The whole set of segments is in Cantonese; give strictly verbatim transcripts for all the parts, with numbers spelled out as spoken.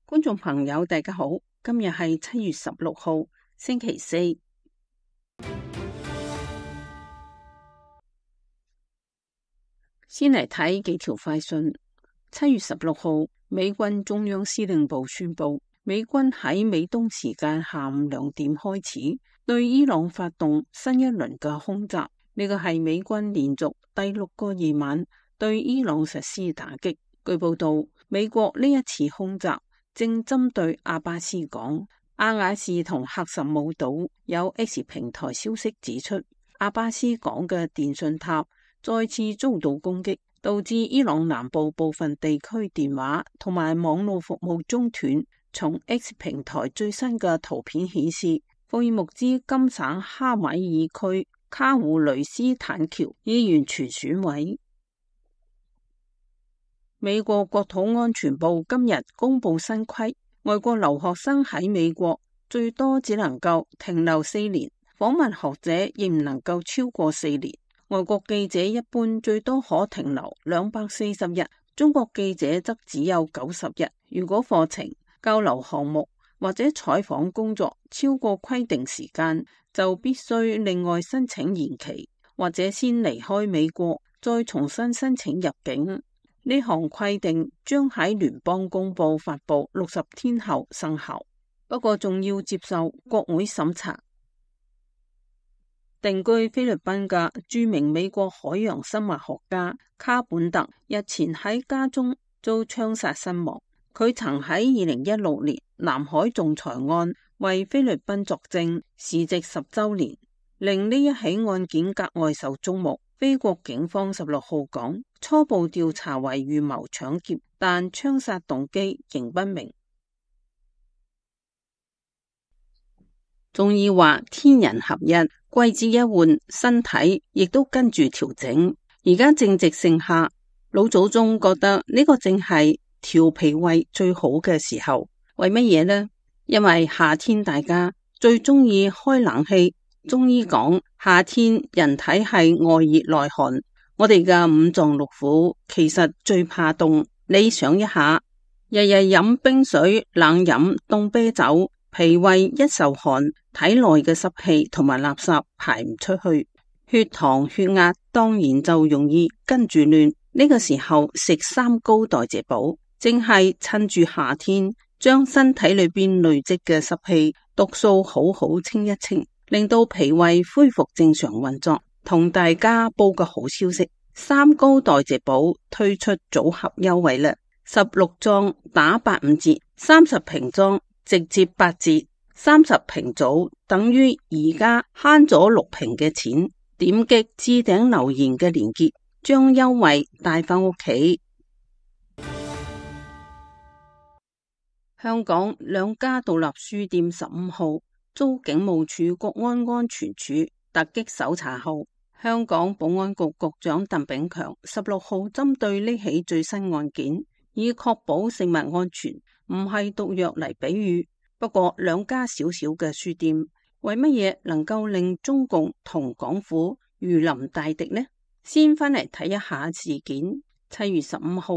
觀眾朋友大家好，今日係七月十六號星期四。先嚟睇幾條快訊。七月十六號，美軍中央司令部宣布，美軍喺美東時間下午兩點開始對伊朗發動新一輪嘅空襲。呢個係美軍連續第六個夜晚對伊朗實施打擊。據報道，美國呢一次空襲正針對阿巴斯港。阿瓦士同喀什姆島有 X 平台消息指出，阿巴斯港嘅電信塔再次遭到攻擊，導致伊朗南部部分地區電話同埋網絡服務中斷。從 X 平台最新嘅圖片顯示，霍爾木茲金省哈米爾區卡胡雷斯坦橋已完全損毀。美國國土安全部今日公布新規，外國留學生喺美國最多只能夠停留四年，訪問學者亦唔能夠超過四年。外國記者一般最多可停留兩百四十日，中國記者則只有九十日。如果課程、交流項目或者採訪工作超過規定時間，就必須另外申請延期，或者先離開美國，再重新申請入境。呢項規定將喺聯邦公報發佈六十天後生效，不過仲要接受國會審查。定居菲律賓嘅著名美國海洋生物學家卡本特日前喺家中遭槍殺身亡。佢曾喺二零一六年南海仲裁案為菲律賓作證，時值十週年，令呢一起案件格外受矚目。菲國警方十六號講，初步調查為預謀搶劫，但槍殺動機仍不明。中醫話天人合一，季節一換，身體亦都跟住調整。而家正值盛夏，老祖宗覺得呢個正係調脾胃最好嘅時候。為乜嘢呢？因為夏天大家最中意開冷氣。中醫講，夏天人體係外熱內寒，我哋嘅五臟六腑其實最怕凍。你想一下，日日飲冰水、冷飲凍啤酒，脾胃一受寒，體內嘅濕氣同埋垃圾排唔出去，血糖血壓當然就容易跟住亂。呢個時候食三高代謝補，正係趁住夏天將身體裏邊累積嘅濕氣毒素好好清一清，令到脾胃恢復正常運作。同大家報個好消息，三高代謝補推出組合優惠啦，十六裝打八五折，三十瓶裝直接八折，三十瓶組等於而家慳咗六瓶嘅錢。點擊置頂留言嘅連結，將優惠帶返屋企。香港兩家獨立書店十五號遭警務處國安安全處突擊搜查後，香港保安局局長鄧炳強十六號針對呢起最新案件，以確保食物安全唔係毒藥嚟比喻。不過兩家小小嘅書店，為乜嘢能夠令中共同港府如臨大敵呢？先返嚟睇一下事件。七月十五號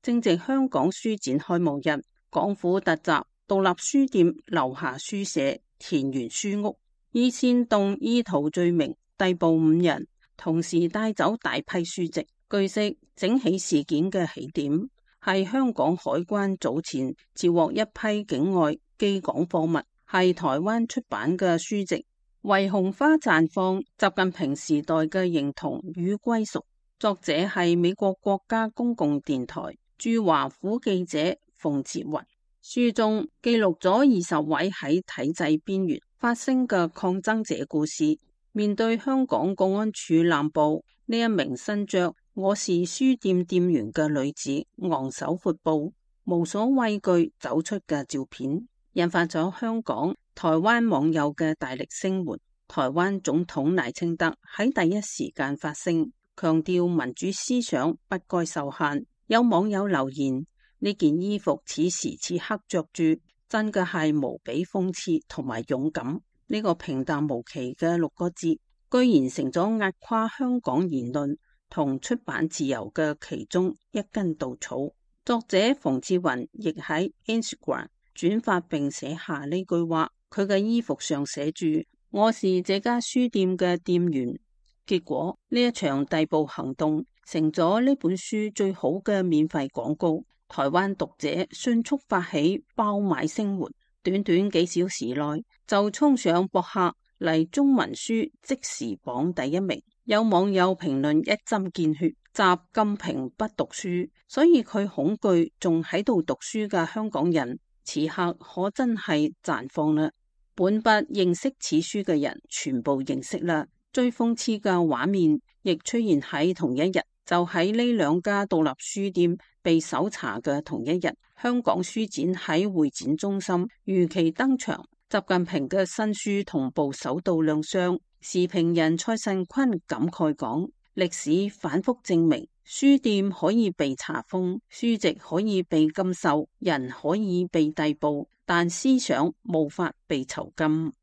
正值香港書展開幕日，港府突襲獨立書店樓下書社田園書屋，以煽動意圖罪名逮捕五人，同時帶走大批書籍。據悉，整起事件嘅起點係香港海關早前截獲一批境外寄港貨物，係台灣出版嘅書籍，為紅花綻放，習近平時代嘅認同與歸屬。作者係美國國家公共電台駐華府記者馮哲雲。書中記錄咗二十位喺體制邊緣發聲嘅抗爭者故事。面對香港公安處濫捕，呢一名身着我是書店店員嘅女子昂首闊步，無所畏懼走出嘅照片，引發咗香港、台灣網友嘅大力聲援。台灣總統賴清德喺第一時間發聲，強調民主思想不該受限。有網友留言，呢件衣服此時此刻着住，真嘅係無比諷刺同埋勇敢。呢個平淡無奇嘅六個字，居然成咗壓垮香港言論同出版自由嘅其中一根稻草。作者馮志雲亦喺 Instagram 轉發並寫下呢句話，佢嘅衣服上寫住我是這家書店嘅店員。結果呢一場逮捕行動成咗呢本書最好嘅免費廣告，台灣讀者迅速發起爆買聲援，短短幾小時內就衝上博客嚟中文書即時榜第一名。有網友評論一針見血，習近平不讀書，所以佢恐懼仲喺度讀書嘅香港人此刻可真係綻放啦。本不認識此書嘅人全部認識啦。最諷刺嘅畫面亦出現喺同一日，就喺呢兩家獨立書店被搜查嘅同一日，香港書展喺會展中心如期登場，習近平嘅新書同步首度亮相。時評人蔡慎坤感慨講：歷史反覆證明，書店可以被查封，書籍可以被禁售，人可以被逮捕，但思想無法被囚禁。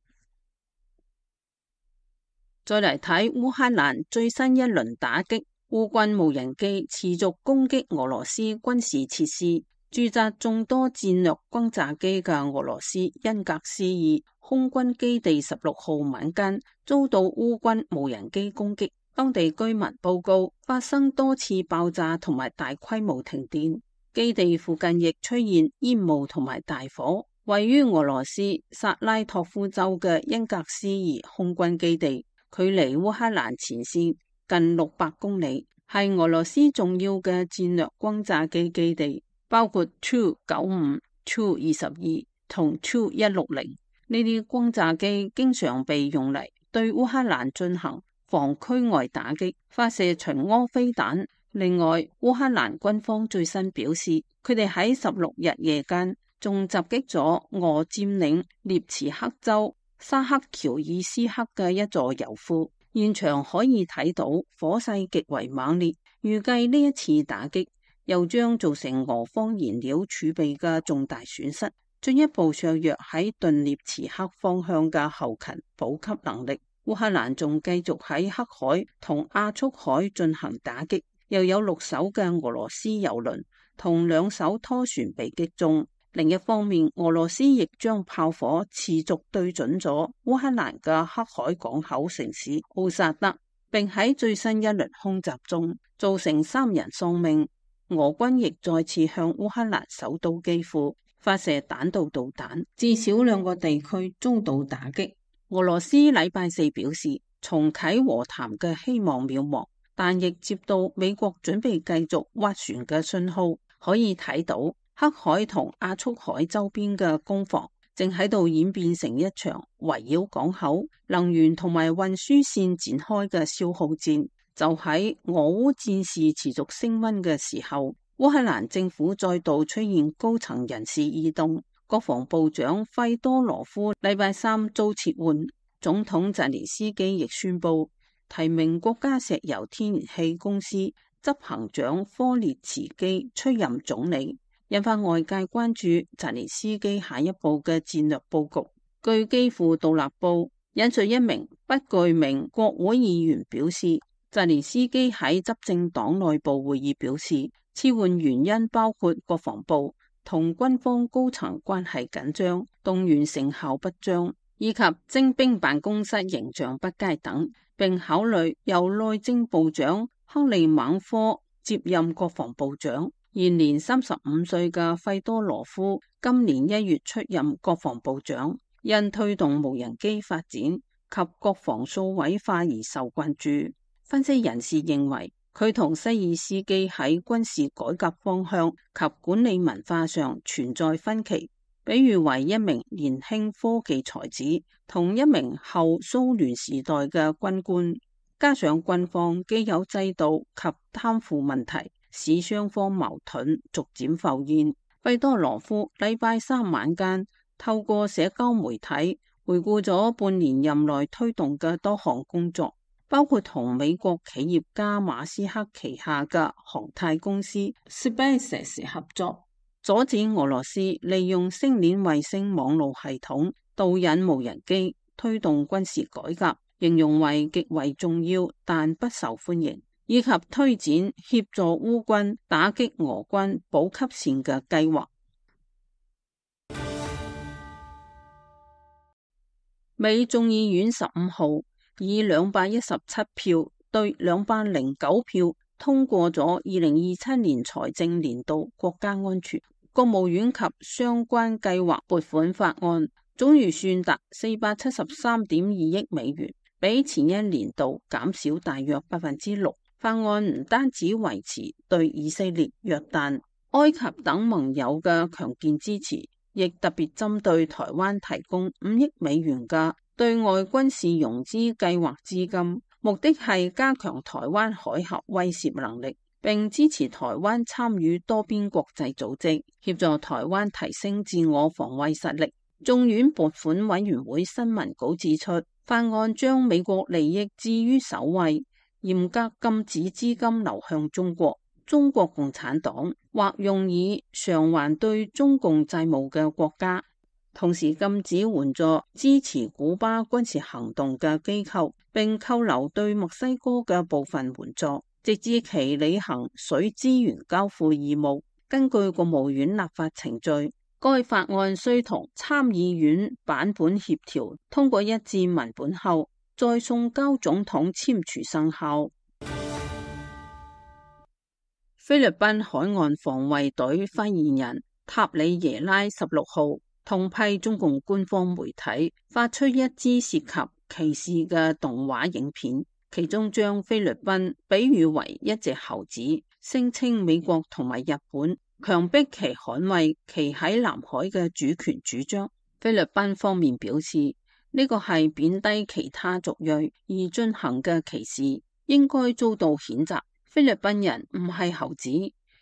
再嚟睇烏克蘭最新一輪打擊，烏軍無人機持續攻擊俄羅斯軍事設施，駐紮眾多戰略轟炸機嘅俄羅斯恩格斯爾空軍基地十六號晚間遭到烏軍無人機攻擊，當地居民報告發生多次爆炸同埋大規模停電，基地附近亦出現煙霧同埋大火。位於俄羅斯薩拉托夫州嘅恩格斯爾空軍基地，距離烏克蘭前線近六百公里，係俄羅斯重要嘅戰略轟炸機基地，包括 Tu 九五、Tu 二十二同 Tu 一六零。呢啲轟炸機經常被用嚟對烏克蘭進行防區外打擊，發射巡弋飛彈。另外，烏克蘭軍方最新表示，佢哋喺十六日夜間仲襲擊咗俄佔領涅茨克州沙克喬爾斯克嘅一座油庫，現場可以睇到火勢極為猛烈。預計呢一次打擊又將造成俄方燃料儲備嘅重大損失，進一步削弱喺頓涅茨克方向嘅後勤補給能力。烏克蘭仲繼續喺黑海同亞速海進行打擊，又有六艘嘅俄羅斯油輪同兩艘拖船被擊中。另一方面，俄羅斯亦將炮火持續對準咗烏克蘭嘅黑海港口城市奧薩德，並喺最新一輪空襲中造成三人喪命。俄軍亦再次向烏克蘭首都基輔發射彈道導彈，至少兩個地區遭到打擊。俄羅斯禮拜四表示，重啟和談嘅希望渺茫，但亦接到美國準備繼續斡旋嘅信號。可以睇到黑海同亞速海周邊嘅攻防正喺度演變成一場圍繞港口、能源同埋運輸線展開嘅消耗戰。就喺俄烏戰事持續升溫嘅時候，烏克蘭政府再度出現高層人事異動，國防部長費多羅夫禮拜三遭撤換，總統澤連斯基亦宣布提名國家石油天然氣公司執行長科列茨基出任總理，引發外界關注澤連斯基下一步嘅戰略佈局。據基輔獨立報引述一名不具名國會議員表示，澤連斯基喺執政黨內部會議表示，撤換原因包括國防部同軍方高層關係緊張、動員成效不彰，以及徵兵辦公室形象不佳等，並考慮由內政部長克利猛科接任國防部長。現年三十五歲嘅費多羅夫今年一月出任國防部長，因推動無人機發展及國防數位化而受關注。分析人士認為，佢同西爾斯基喺軍事改革方向及管理文化上存在分歧，比喻為一名年輕科技才子同一名後蘇聯時代嘅軍官，加上軍方既有制度及貪腐問題，使雙方矛盾逐漸浮現。費多羅夫禮拜三晚間透過社交媒體回顧咗半年任內推動嘅多項工作，包括同美國企業家馬斯克旗下嘅航太公司 SpaceX 合作，阻止俄羅斯利用星鏈衛星網絡系統導引無人機，推動軍事改革，形容為極為重要但不受歡迎。以及推展協助烏軍打擊俄軍補給線嘅計劃。美眾議院十五號以兩百一十七票對兩百零九票通過咗二零二七年財政年度國家安全、國務院及相關計劃撥款法案，總預算達四百七十三點二億美元，比前一年度減少大約百分之六。法案唔單止維持對以色列、約旦、埃及等盟友嘅強健支持，亦特別針對台灣提供五億美元嘅對外軍事融資計劃資金，目的係加強台灣海峽威懾能力，並支持台灣參與多邊國際組織，協助台灣提升自我防衛實力。眾院撥款委員會新聞稿指出，法案將美國利益置於首位，嚴格禁止資金流向中國、中國共產黨或用以償還對中共債務嘅國家，同時禁止援助支持古巴軍事行動嘅機構，並扣留對墨西哥嘅部分援助，直至其履行水資源交付義務。根據國務院立法程序，該法案須同參議院版本協調，通過一致文本後，再送交總統簽署生效。菲律賓海岸防衛隊發言人塔里耶拉十六號痛批中共官方媒體發出一支涉及歧視嘅動畫影片，其中將菲律賓比喻為一隻猴子，聲稱美國同埋日本強迫其捍衛其喺南海嘅主權主張。菲律賓方面表示，呢個係貶低其他族裔而進行嘅歧視，應該遭到譴責。菲律賓人唔係猴子。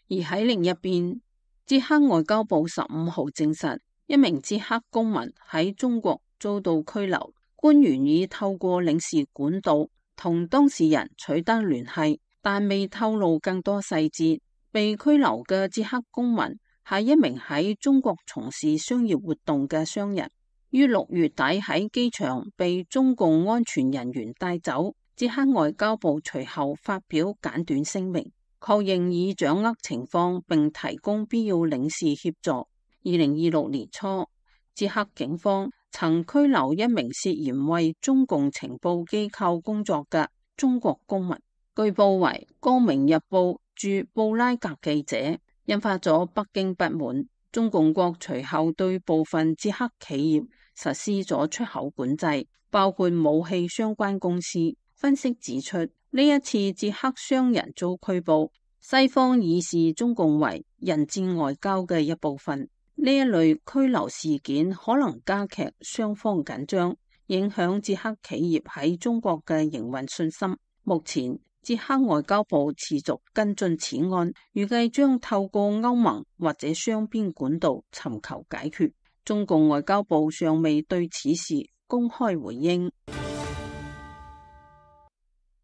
而喺另一邊，捷克外交部十五號證實，一名捷克公民喺中國遭到拘留，官員已透過領事管道同當事人取得聯繫，但未透露更多細節。被拘留嘅捷克公民係一名喺中國從事商業活動嘅商人，於六月底喺機場被中共安全人員帶走。捷克外交部隨後發表簡短聲明，確認已掌握情況並提供必要領事協助。二零二六年初，捷克警方曾拘留一名涉嫌為中共情報機構工作嘅中國公民，據報為《光明日報》駐布拉格記者，引發咗北京不滿。中共國隨後對部分捷克企業實施咗出口管制，包括武器相關公司。分析指出，呢一次捷克商人遭拘捕，西方已視中共為人質外交嘅一部分。呢一類拘留事件可能加劇雙方緊張，影響捷克企業喺中國嘅營運信心。目前，捷克外交部持續跟進此案，預計將透過歐盟或者雙邊管道尋求解決。中共外交部尚未對此事公開回應。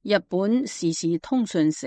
日本時事通訊社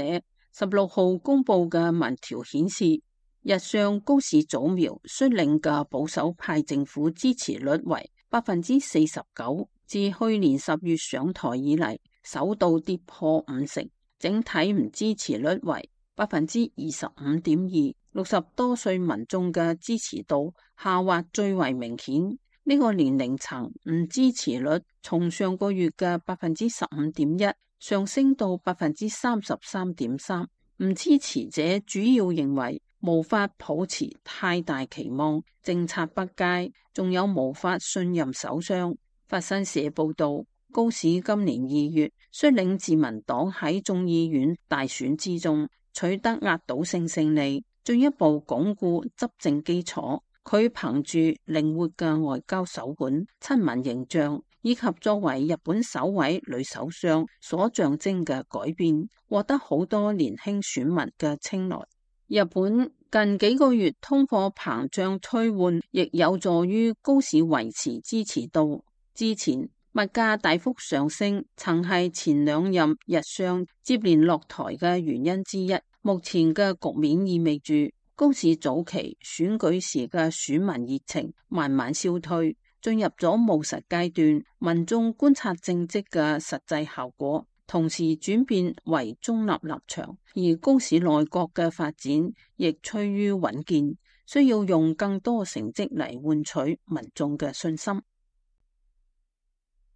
十六號公布嘅民調顯示，日相高市早苗率領嘅保守派政府支持率為百分之四十九，自去年十月上台以嚟首度跌破五成。整體唔支持率為百分之二十五點二，六十多歲民眾嘅支持度下滑最為明顯。呢個年齡層唔支持率從上個月嘅百分之十五點一上升到百分之三十三點三。唔支持者主要認為無法抱持太大期望，政策不佳，仲有無法信任首相。法新社報道，高市今年二月率領自民黨喺眾議院大選之中取得壓倒性勝利，進一步鞏固執政基礎。佢憑住靈活嘅外交手腕、親民形象以及作為日本首位女首相所象徵嘅改變，獲得好多年輕選民嘅青睞。日本近幾個月通貨膨脹趨緩，亦有助於高市維持支持度。之前物價大幅上升，曾係前兩任日相接連落台嘅原因之一。目前嘅局面意味住高市早期選舉時嘅選民熱情慢慢消退，進入咗務實階段。民眾觀察政績嘅實際效果同時轉變為中立立場，而高市內閣嘅發展亦趨於穩健，需要用更多成績嚟換取民眾嘅信心。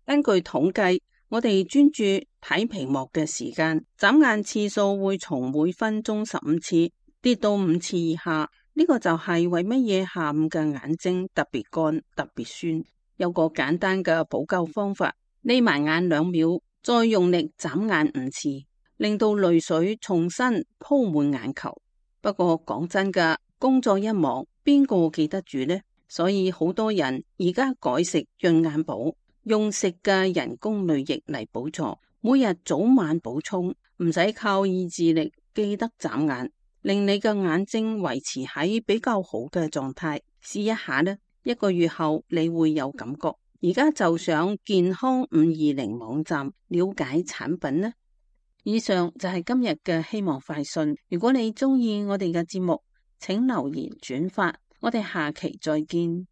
根據統計，我哋專注睇屏幕嘅時間，眨眼次數會從每分鐘十五次跌到五次以下。呢個就係為乜嘢下午嘅眼睛特別乾、特別酸。有個簡單嘅補救方法，眯埋眼兩秒，再用力眨眼五次，令到淚水重新鋪滿眼球。不過講真㗎，工作一忙，邊個記得住呢？所以好多人而家改食潤眼寶，用食嘅人工淚液嚟補助，每日早晚補充，唔使靠意志力記得眨眼，令你嘅眼睛維持喺比較好嘅狀態。試一下呢，一個月後你會有感覺。而家就上健康五二零網站了解產品呢。以上就係今日嘅希望快訊。如果你中意我哋嘅節目，請留言轉發，我哋下期再見。